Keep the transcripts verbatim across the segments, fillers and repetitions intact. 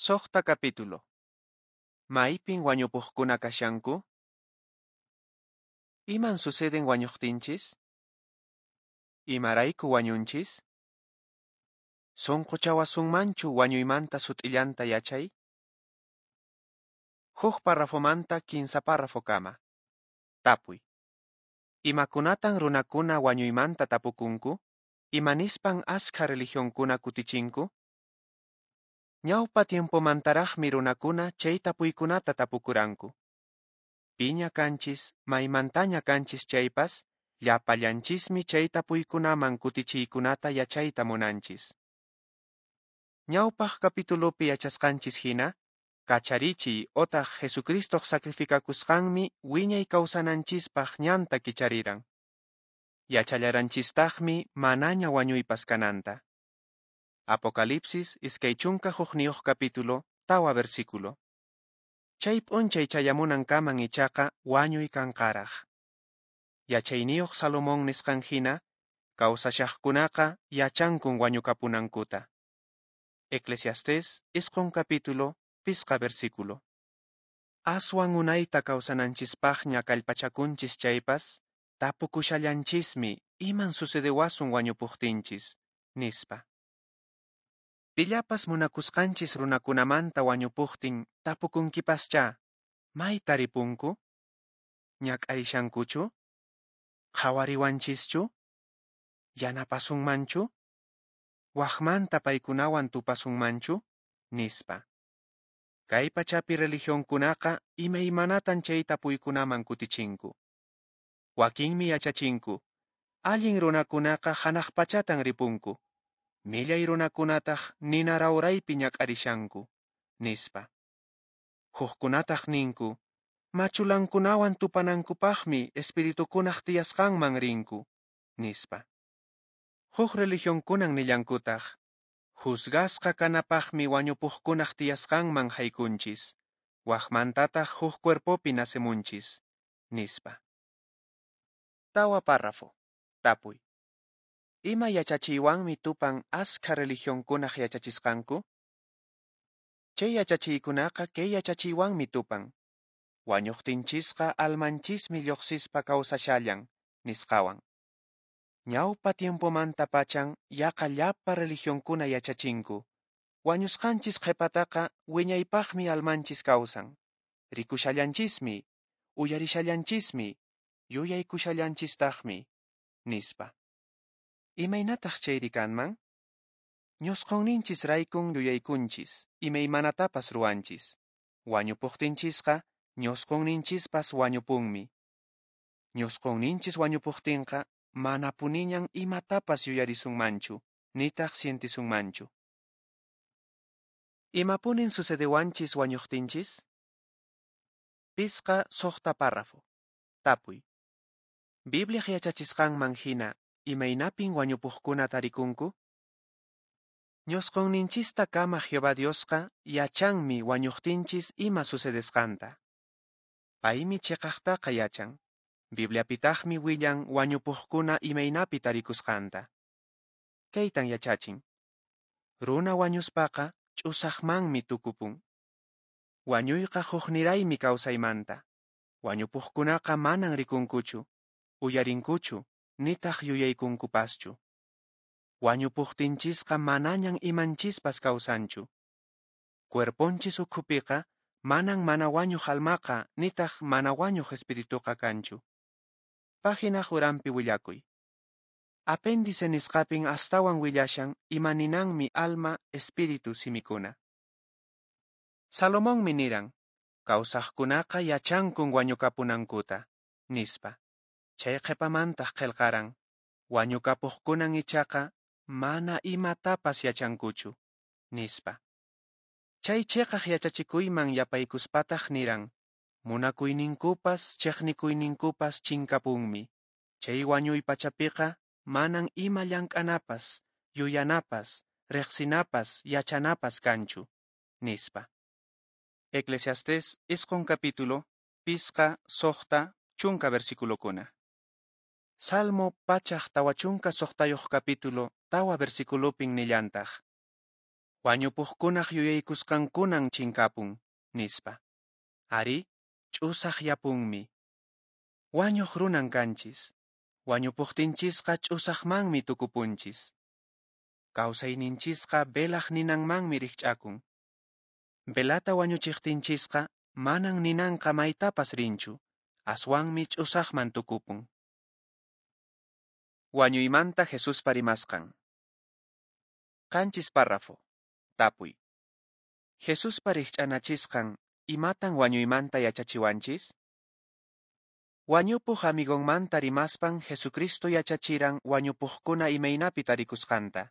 Suqta capítulo. Maypin wañupuqkuna kashanku? Iman suceden wañuqtinchis? Imarayku wañunchis? Sunquchawasunmanchu wañuymanta sut'illanta yachay? Huk parrafomanta kinsa párrafokama. Tapuy. Imakunatan runakuna wañuymanta tapukunku? Imanispan askha religionkuna kutichinku? Ñawpa tiempomantaraqmi runakuna chay tapuykunata tapukuranku. Piña kanchis, maymantaña kanchis chaypas, llapallanchismi chay tapuykunaman kutichiykunata yachayta munanchis. Ñawpaq capitulopi yachasqanchis hina, kacharichiy otaq Jesucristoq sacrificakusqanmi wiñay kawsananchispaq ñanta kichariran. Yachallaranchistaqmi manaña wañuypas kananta. Apocalipsis iskay chunka hukniyuq capítulo, tawa versículo. Chay p'unchay chayamunankaman ichaqa wañuy kanqaraq. Yachayniyuq Salomón nisqan hina, kawsashaqkunaqa yachankun wañukapunankuta. Eclesiastés isqun capítulo, pisqa versículo. Aswan unayta kawsananchispaqña kallpachakunchis chaypas, tapukushallanchismi iman sucedewasun wañupuqtinchis, nispa. Pillapas munakusqanchis runakunamanta wañupuqtin tapukunkipaschá, mayta ripunku? Ñak'arishankuchu? Qhawariwanchischu? Yanapasunmanchu? Waqmanta paykunawan tupasunmanchu? Nispa. Kay pachapi religionkunaqa imaymanatan chay tapuykunaman kutichinku. Wakinmi yachachinku, allin runakunaqa hanaq pachatan ripunku, millay runakunataq nina rawraypi ñak'arishanku, nispa. Hukkunataq ninku, machulankunawan tupanankupaqmi espiritukunaq tiyasqanman rinku, nispa. Huk religionkunan nillankutaq, juzgasqa kanapaqmi wañupuqkunaq tiyasqanman haykunchis, waqmantataq huk cuerpopi nacemunchis, nispa. Tawa párrafo. Tapuy. Ima yachachiywanmi tupan askha religionkunaq yachachisqanku? Chay yachachiykunaqa kay yachachiywanmi tupan. Wañuqtinchisqa almanchismi lluqsispa kawsashallan, nisqawan. Ñawpa tiempomanta pachan yaqa llapa religionkuna yachachinku. Wañusqanchis qhipataqa wiñaypaqmi almanchis kawsan. Rikushallanchismi, uyarishallanchismi, yuyaykushallanchistaqmi, nispa. Imaynataq chayri kanman? Ñusqhunninchis raykun yuyaykunchis, imaymanatapas ruwanchis. Wañupuqtinchisqa ñusqhunninchispas wañupunmi. Ñusqhunninchis wañupuqtinqa manapuniñan imatapas yuyarisunmanchu, nitaq sientisunmanchu. Imapunin sucedewanchis wañuqtinchis? Pisqa suqta párrafo. Tapuy. Bibliaq yachachisqanman hina, imaynapin wañupuqkuna tarikunku? Ñusqhunninchista kama Jehová Diosqa yachanmi wañuqtinchis ima sucedesqanta. Paymi chiqaqtaqa yachan. Bibliapitaqmi willan wañupuqkuna imaynapi tarikusqanta. Kaytan yachachin. Runa wañuspaqa ch'usaqmanmi tukupun. Wañuyqa hukniraymi kawsaymanta. Wañupuqkunaqa manan rikunkuchu, uyarinkuchu, nitaq yuyaykunkupaschu. Wañupuqtinchisqa manañan imanchispas kawsanchu. Cuerponchis ukhupiqa manan mana wañuq almaqa nitaq mana wañuq espirituqa kanchu. Página uranpi willakuy. Apéndice nisqapin astawan willashan imaninanmi alma, espíritu simikuna. Salomonmi niran, kawsaqkunaqa yachankun wañukapunankuta, nispa. Chay qhipamantaq qillqaran, wañukapuqkunan ichaqa mana imatapas yachankuchu, nispa. Chay chiqaq yachachikuyman yapaykuspataq niran, munakuyninkupas chiqnikuyninkupas chinkapunmi. Chay wañuy pachapiqa manan ima llank'anapas, yuyanapas, riqsinapas, yachanapas kanchu, nispa. Eclesiastés isqun capítulo, pisqa, suqta, chunka versiculokuna. Salmo pachaq tawa chunka suqtayuq capítulo, tawa versiculopin nillantaq. Wañupuqkunaq yuyaykusqankunan chinkapun, nispa. Arí, ch'usaqyapunmi. Wañuq runan kanchis. Wañupuqtinchisqa ch'usaqmanmi tukupunchis. Kawsayninchisqa velaq ninanmanmi rikch'akun. Velata wañuchiqtinchisqa manan ninanqa maytapas rinchu, aswanmi ch'usaqman tukupun. Wañuymanta Jesuspa rimasqan. Qanchis párrafo. Tapuy. Jesuspa rikch'anachisqan, imatan wañuymanta yachachiwanchis? Wañupuq amigonmanta rimaspan Jesucristo yachachiran wañupuqkuna imaynapi tarikusqanta.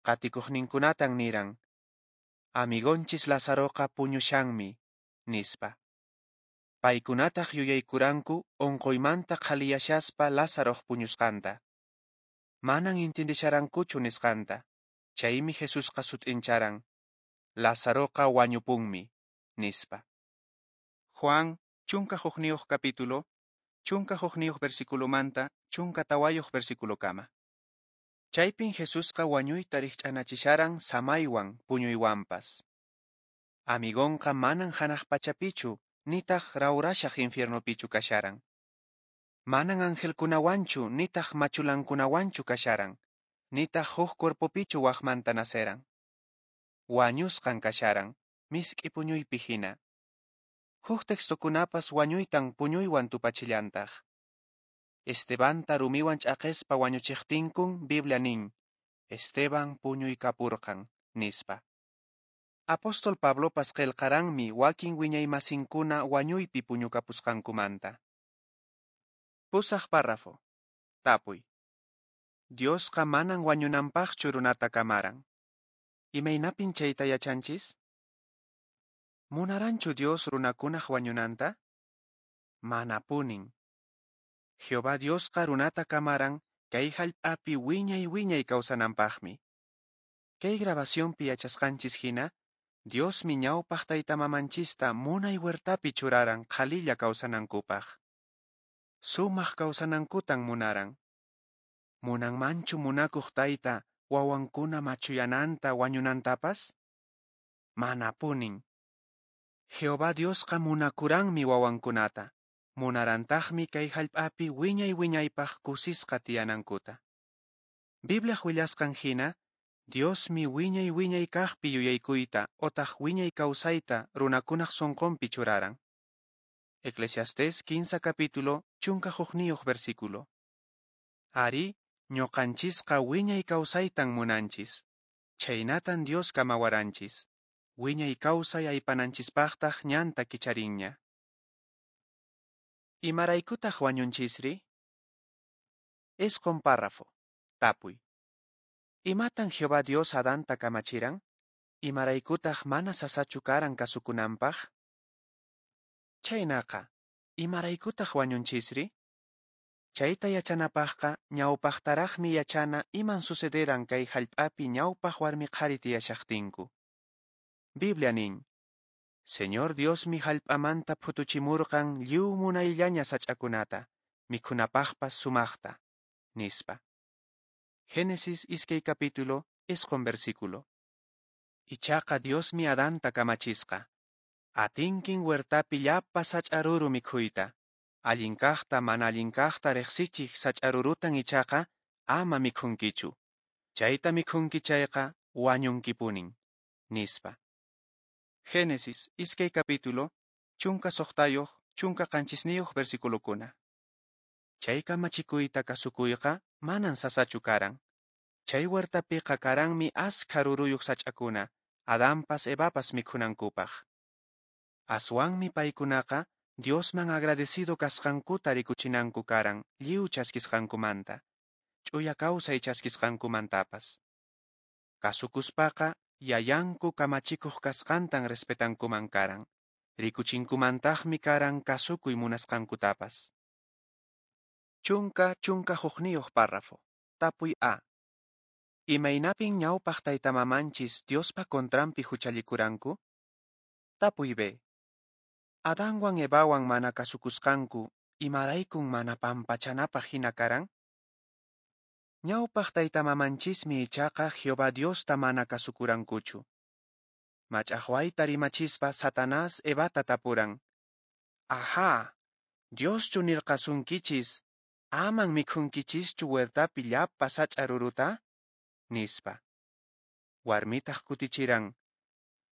Qatikuqninkunatan niran, Amigonchis Lazaroqa puñushanmi, nispa. Paykunataq yuyaykuranku onqoymanta qhaliyashaspa Lazaroq puñusqanta. Manan intindisharankuchu nisqanta. Chaymi Jesusqa sut'incharan, Lazaroqa wañupunmi, nispa. Juan, chunka hukniyuq capítulo, chunka hukniyuq versiculomanta, chunka tawayuq versiculokama. Chaypin Jesusqa wañuyta rikch'anachisharan samaywan puñuywanpas. Amigonqa manan hanaq pachapichu, nitaq rawrashaq infiernopichu kasharan. Manan angelkunawanchu nitaq machulankunawanchu kasharan, nitaq huk cuerpopichu waqmanta naceran. Wañusqan kasharan, misk'i puñuypi hina. Huk textokunapas wañuytan puñuywan tupachillantaq. Estebanta rumiwan ch'aqespa wañuchiqtinkun Biblia nin, Esteban puñuykapurqan, nispa. Apóstol Pablopas qillqaranmi wakin wiñaymasinkuna wañuypi puñukapusqankumanta. Pusaq párrafo. Tapuy. Diosqa manan wañunanpaqchu runata kamaran. Imaynapin chayta yachanchis? Munaranchu Dios runakunaq wañunanta? Manapunin. Jehová Diosqa runata kamaran kay hallp'api wiñay wiñay kawsananpaqmi. Kay grabacionpi yachasqanchis hina, Diosmi ñawpaq taytamamanchista munay huertapi churaran qhalilla kawsanankupaq. Sumaq kawsanankutan munaran. Munanmanchu munakuq tayta wawankuna machuyananta wañunantapas? Manapunin. Jehová Diosqa munakuranmi wawankunata. Munarantaqmi kay hallp'api wiñay wiñaypaq kusisqa tiyanankuta. Bibliaq willasqan hina, Diosmi wiñay wiñay kaqpi yuyaykuyta otaq wiñay kawsayta runakunaq sunqunpi churaran. Eclesiastés quince capítulo, chunka hukniyuq versículo. Ari, ñuqanchisqa wiñay kawsaytan munanchis. Chhaynatan Dios kamawaranchis. Wiñay kawsay aypananchispaqtaq ñanta kicharinña. Imaraykutaq wañunchisri? Isqun párrafo. Tapuy. Imatan Jehová Dios Adanta kamachiran? Imaraykutaq mana sasachu karan kasukunanpaq? Chhaynaqa, imaraykutaq wañunchisri? Chayta yachanapaqqa ñawpaqtaraqmi yachana iman sucederan kay hallp'api ñawpaq warmi qhari tiyashaqtinku. Biblia nin, Señor Diosmi hallp'amanta phutuchimurqan lliw munayllaña sach'akunata, mikhunapaqpas sumaqta, nispa. Génesis iskay capítulo, isqun versículo. Ichaqa Diosmi Adanta kamachisqa. Atinkin huertapi llapa sach'aruru mikhuyta. Allin kaqta mana allin kaqta riqsichiq sach'arurutan ichaqa ama mikhunkichu. Chayta mikhunki chayqa wañunkipunin, nispa. Génesis iskay capítulo, chunka suqtayuq, chunka qanchisniyuq versiculokuna. Chay kamachikuyta kasukuyqa manan sasachu karan. Chay huertapiqa karanmi askha ruruyuq sach'akuna, Adanpas Evapas mikhunankupaq. Aswanmi paykunaqa Diosman agradecido kasqankuta rikuchinanku karan lliw chaskisqankumanta, ch'uya kawsay chaskisqankumantapas. Kasukuspaqa yayanku kamachikuq kasqantan respetankuman karan, rikuchinkumantaqmi karan kasukuy munasqankutapas. Chunka chunka hukniyuq párrafo. Tapuy A. Imaynapin ñawpaq taytamamanchis Diospa contranpi huchallikuranku? Tapuy B. Adanwan Evawan mana kasukusqanku, imaraykun mana pampachanapaq hina karan? Ñawpaq tayta-mamanchismi ichaqa Jehová Diosta mana kasukurankuchu. Mach'aqwayta rimachispa Satanás Evata tapuran, Aha, Dioschu nirqasunkichis, aman mikhunkichischu huertapi llapa sach'a ruruta? Nispa. Warmitaq kutichiran,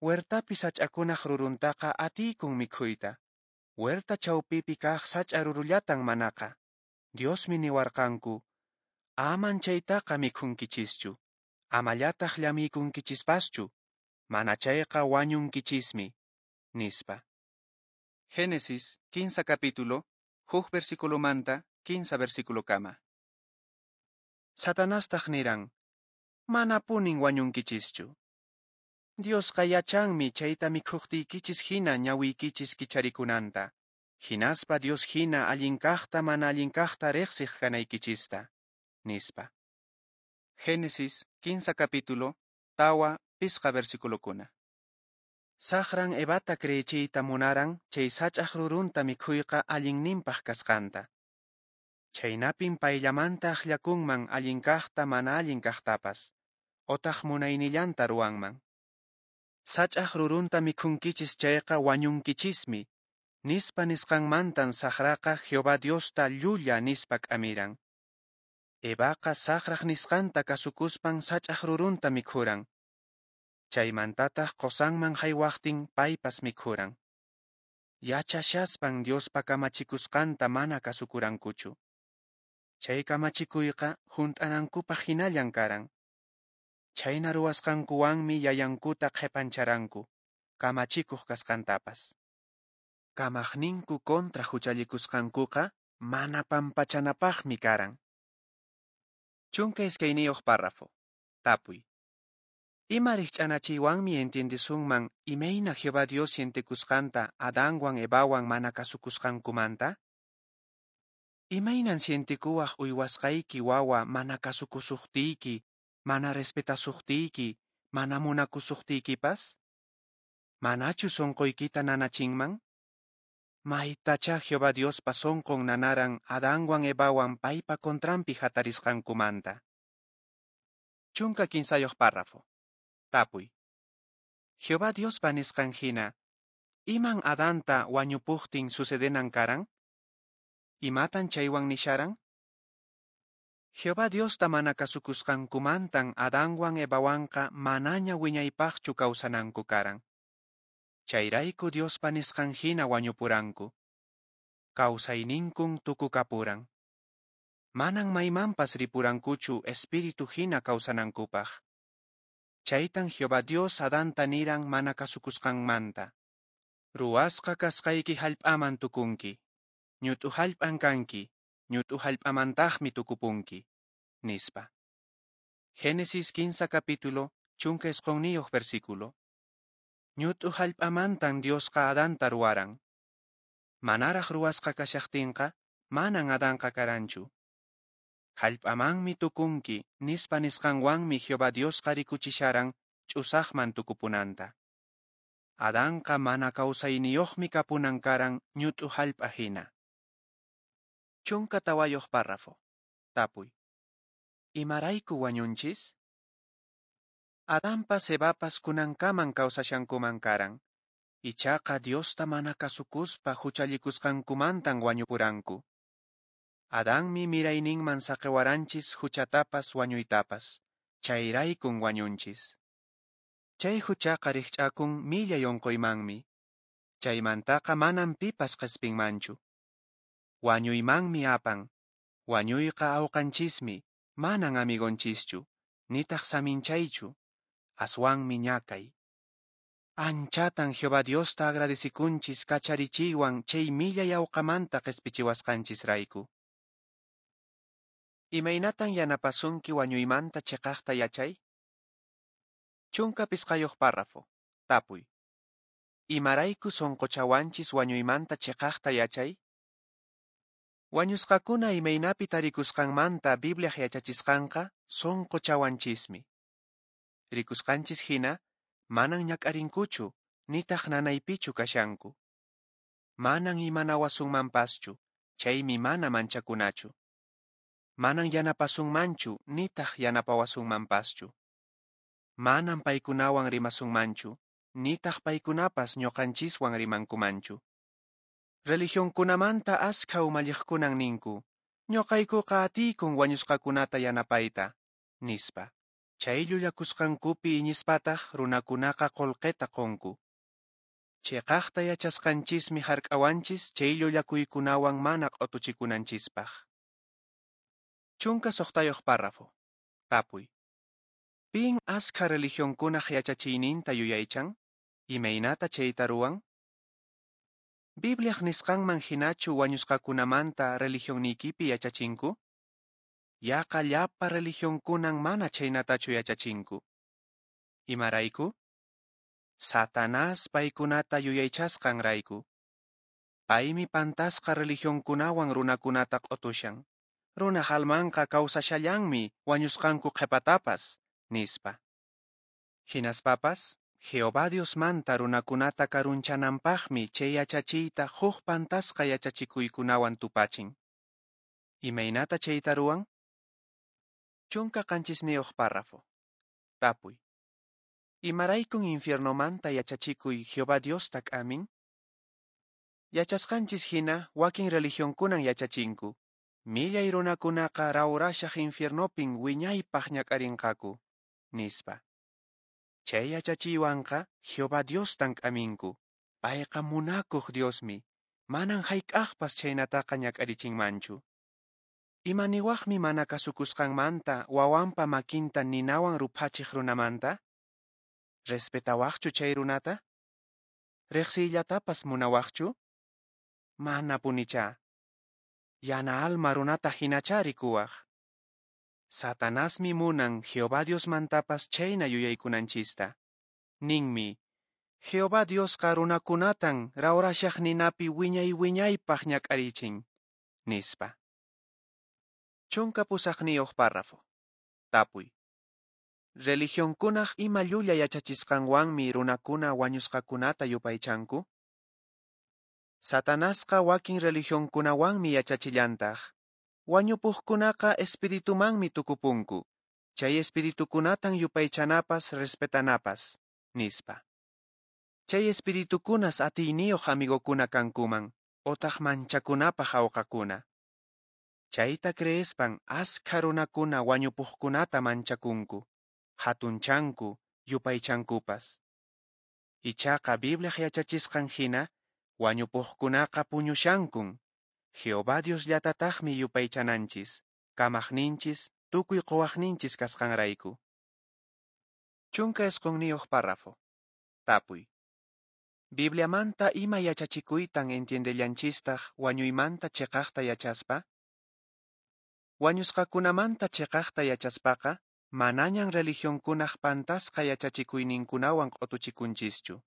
Huertapi sach'akunaq ruruntaqa atiykun mikhuyta. Huerta chawpipi kaq sach'a rurullatan manaqa. Diosmi niwarqanku, aman chaytaqa mikhunkichischu, amallataq llamiykunkichispaschu, mana chayqa wañunkichismi, nispa. Génesis kinsa capítulo, huk versiculomanta kinsa versiculokama. Satanastaq niran, manapunin wañunkichischu. Diosqa yachanmi chayta mikhuqtiykichis hina ñawiykichis kicharikunanta, hinaspa Dios hina allin kaqta mana allin kaqta riqsiq kanaykichista, nispa. Génesis kinsa capítulo, tawa pisqa versiculokuna. Saqran Evata creechiyta munaran chay sach'aq rurunta mikhuyqa allinninpaq kasqanta. Chaynapin payllamanta akllakunman allin kaqta mana allin kaqtapas, otaq munaynillanta ruwanman. Sach'aq rurunta mikhunkichis chayqa wañunkichismi, nispa nisqanmantan saqraqa Jehová Diosta llulla nispa k'amiran. Evaqa saqraq nisqanta kasukuspan sach'aq rurunta mikhuran. Chaymantataq qosanman haywaqtin paypas mikhuran. Yachashaspan Diospa kamachikusqanta mana kasukurankuchu. Chay kamachikuyqa hunt'anankupaq hinallan karan. Chayna ruwasqankuwanmi yayankuta qhipancharanku, kamachikuq kasqantapas. Kamaqninku kontra huchallikusqankuqa mana pampachanapaqmi karan. Chunka iskayniyuq párrafo. Tapuy. Ima rikch'anachiywanmi entiendesunman imayna Jehová Dios sientekusqanta Adanwan Evawan mana kasukusqankumanta? Imaynan sientekuwaq uywasqayki wawa mana kasukusuqtiyki, mana respetasuqtiyki, mana munakusuqtiykipas? Manachu sonqoykita nanachinman? Maytacha Jehová Diospa sonqon nanaran Adanwan Evawan paypa contranpi hatarisqankumanta. Chunka kinsayuq párrafo. Tapuy. Jehová Diospa nisqan hina, iman Adanta wañupuqtin sucedenan karan? Imatan chaywan nisharan? Jehová Diosta mana kasukusqankumantan Adanwan Evawanqa manaña wiñaypaqchu kawsananku karan. Chayrayku Diospa nisqan hina wañupuranku. Kawsayninkun tukukapuran. Manan maymanpas ripurankuchu espíritu hina kawsanankupaq. Chaytan Jehová Dios Adanta niran mana kasukusqanmanta. Ruwasqa kasqayki hallp'aman tukunki. Ñut'u hallp'an kanki, ñut'u hallp'amantaqmi tukupunki, nispa. Génesis kinsa capítulo, chunka isqunniyuq versículo. Ñut'u hallp'amantan Diosqa Adanta ruwaran. Manaraq ruwasqa kashaqtinqa, manan Adanqa karanchu. Hallp'amanmi tukunki, nispa nisqanwanmi Jehová Diosqa rikuchisharan ch'usaqman tukupunanta. Adanqa mana kawsayniyuqmi kapunan karan ñut'u hallp'a hina. Chunka tawayuq párrafo. Tapuy. Imarayku wañunchis? Adanpas Evapas kunankaman kawsashankuman karan. Ichaqa Diosta mana kasukuspa huchallikusqankumantan wañupuranku. Adanmi mirayninman saqewaranchis huchatapas wañuytapas. Chayraykun wañunchis. Chay huchaqa rikch'akun millay unquymanmi. Chaymantaqa manan pipas qhispinmanchu. Wañuymanmi apan. Wañuyqa awqanchismi, manan amigonchischu, nitaq saminchaychu, aswanmi ñakay. Anchatan Jehová Diosta agradecikunchis kacharichiywan chay millay awqamanta qhispichiwasqanchisrayku. Imaynatan yanapasunki wañuymanta chiqaqta yachay? Chunka pisqayuq párrafo. Tapuy. Imarayku sunquchawanchis wañuymanta chiqaqta yachay? Wañusqakuna imaynapi tarikusqanmanta Bibliaq yachachisqanqa sunquchawanchismi. Rikusqanchis hina, manan ñak'arinkuchu, nitaq nanaypichu kashanku. Manan imanawasunmanpaschu, chaymi mana manchakunachu. Manan yanapasunmanchu nitaq yanapawasunmanpaschu. Manan paykunawan rimasunmanchu, nitaq paykunapas ñoqanchiswan rimankumanchu. Religionkunamanta askha umalliqkunan ninku, ñoqaykuqa atiykun wañusqakunata yanapayta, nispa. Chay llullakusqankupi iñispataq runakunaqa qolqeta qonku. Cheqaqta yachasqanchismi hark'awanchis chay llullakuykunawan mana q'otuchikunanchispaq. Chunka suqtayuq párrafo. Tapuy. Pin askha religionkunaq yachachiyninta yuyaychan? Imaynata chayta ruwan? Bibliaq nisqanman hinachu wañusqakunamanta religionniykipi yachachinku? Yaqa llapa religionkunan mana chaynatachu yachachinku. Imarayku? Satanás paykunata yuyaychasqanrayku. Paymi pantasqa religionkunawan runakunata q'otushan. Runaq almanqa kawsashallanmi wañusqanku qhepatapas, nispa. Hinaspapas, Jehová Diosmanta runakunata karunchananpaqmi chay yachachiyta huk pantasqa yachachikuykunawan tupachin. Imaynata chayta ruwan? Chunka qanchisniyuq párrafo. Tapuy. Imaraykun infiernomanta yachachikuy Jehová Diosta k'amin? Yachasqanchis hina wakin religionkunan yachachinku. Millay runakunaqa rawrashaq infiernopin wiñaypaq ñak'arinqaku, nispa. Chay yachachiywanqa Jehová Diostan k'aminku. Payqa munakuq Diosmi, manan hayk'aqpas chaynataqa ñak'arichinmanchu. Imaniwaqmi mana kasukusqanmanta wawanpa makinta ninawan ruphachiq runamanta? Respetawaqchu chay runata? Riqsiyllatapas munawaqchu? Mana punicha. Yana alma runata hinacha rikuwaq. Satanasmi munan Jehová Diosmantapas chayna yuyaykunanchista. Ninmi, Jehová Diosqa runakunatan rawrashaq ninapi wiñay wiñaypaq ñak'arichin, nispa. Chunka pusaqniyuq párrafo. Tapuy. Religionkunaq ima llulla yachachisqanwanmi runakuna wañusqakunata yupaychanku? Satanasqa wakin religionkunawanmi yachachillantaq. Wañupuqkunaqa espiritumanmi tukupunku. Chay espiritukunatan yupaychanapas respetanapas, nispa. Chay espiritukunas atiyniyuq amigokuna kankuman, otaq manchakunapaq awqakuna. Chayta creespan askha runakuna wañupuqkunata manchakunku, hatunchanku, yupaychankupas. Ichaqa Bibliaq yachachisqan hina, wañupuqkunaqa puñushankun. Jehová Diosllatataqmi yupaychananchis, kamaqninchis, tukuy quwaqninchis kasqanrayku. Chunka isqunniyuq párrafo. Tapuy. Bibliamanta ima yachachikuytan entiendellanchistaq wañuymanta cheqaqta yachaspa? Wañusqakunamanta cheqaqta yachaspaqa, manañan religionkunaq pantasqa yachachikuyninkunawan q'otuchikunchischu.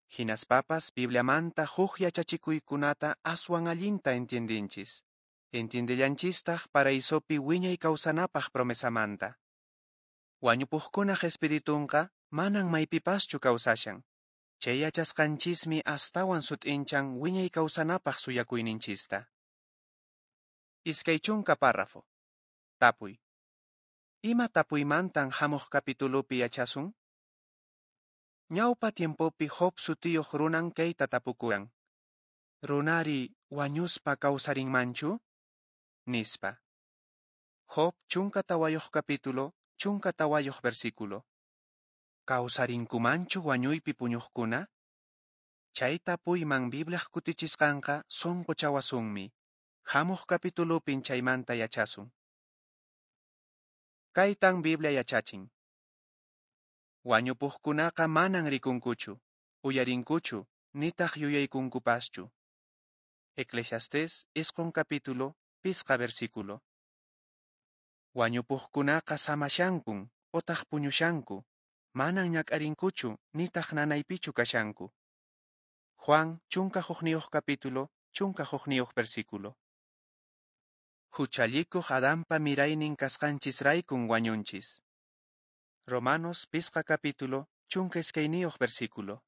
Hinaspapas Bibliamanta huk yachachikuykunata aswan allinta entiendinchis. Entiendellanchistaq paraisopi wiñay kawsanapaq promesamanta. Wañupuqkunaq espiritunqa manan maypipaschu kawsashan. Chay yachasqanchismi astawan sut'inchan wiñay kawsanapaq suyakuyninchista. Iskay chunka párrafo. Tapuy. Ima tapuymantan hamuq kapitulupi yachasun? Ñawpa tiempopi Job sutiyuq runan kayta tapukuran. Runari wañuspa kawsarinmanchu? Nispa. Job chunka tawayuq capítulo, chunka tawayuq versículo. Kawsarinkumanchu wañuypi puñuqkuna? Chay tapuyman Bibliaq kutichisqanqa sunquchawasunmi. Hamuq kapitulupin chaymanta yachasun. Kaytan Biblia yachachin. Wañupuqkunaqa manan rikunkuchu, uyarinkuchu, nitaq yuyaykunkupaschu. Eclesiastés isqun capítulo, pisqa versículo. Wañupuqkunaqa samashankun, otaq puñushanku, manan ñak'arinkuchu, nitaq nanaypichu kashanku. Juan chunka hukniyuq capítulo, chunka hukniyuq versículo. Huchallikuq Adanpa miraynin kasqanchisraykun wañunchis. Romanos pisqa capítulo, chunka iskayniyuq versículo.